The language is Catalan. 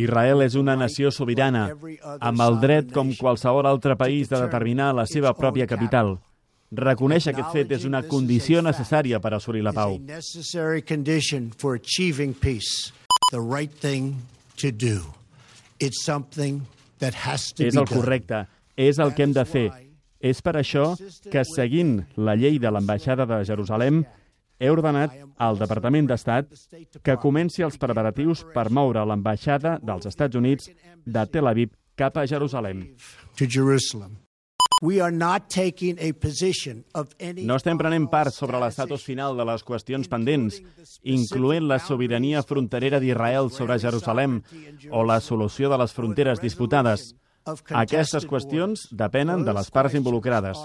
Israel és una nació sobirana, amb el dret com qualsevol altre país de determinar la seva pròpia capital. Reconèixer aquest fet és una condició necessària per assolir la pau. És el correcte, és el que hem de fer. És per això que, seguint la llei de l'ambaixada de Jerusalem, he ordenat al Departament d'Estat que comenci els preparatius per moure l'ambaixada dels Estats Units de Tel Aviv cap a Jerusalem. No estem prenent part sobre l'estatus final de les qüestions pendents, incloent la sobirania fronterera d'Israel sobre Jerusalem o la solució de les fronteres disputades. Aquestes qüestions depenen de les parts involucrades.